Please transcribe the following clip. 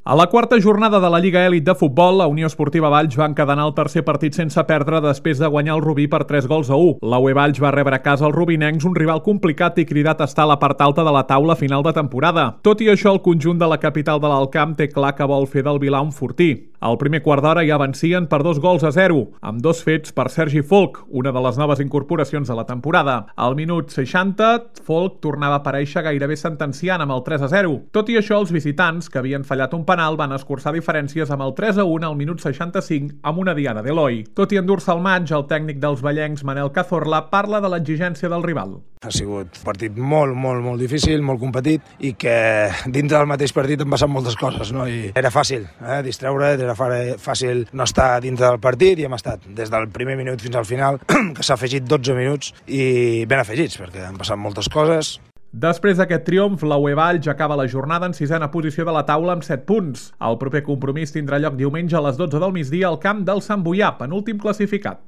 A la quarta jornada de la Lliga Elit de Futbol, la Unió Esportiva Valls va encadenar el tercer partit sense perdre després de guanyar el Rubí per 3-1. La UE Valls va rebre a casa els rubinencs, un rival complicat i cridat a estar a la part alta de la taula final de temporada. Tot i això, el conjunt de la capital de l'Alt Camp té clar que vol fer del Vilà un fortí. Al primer quart d'hora ja vencien per 2-0, amb 2 fets per Sergi Folch, una de les noves incorporacions de la temporada. Al minut 60, Folch tornava a aparèixer gairebé sentenciant amb el 3-0. Tot i això, els visitants, que havien fallat un penal, van escurçar diferències amb el 3-1 al minut 65 amb una diana d'Eloi. Tot i endur-se el maig, el tècnic dels vallencs, Manel Cazorla, parla de l'exigència del rival. Ha sigut un partit molt difícil, molt competit i que dins del mateix partit han passat moltes coses, no? I era fàcil distreure, era fàcil no estar dins del partit i hem estat des del primer minut fins al final, que s'ha afegit 12 minuts i ben afegits perquè han passat moltes coses. Després d'aquest triomf, la UE Valls acaba la jornada en 6a posició de la taula amb 7 punts. El proper compromís tindrà lloc diumenge a les 12 del migdia al camp del Sant Boià, penúltim classificat.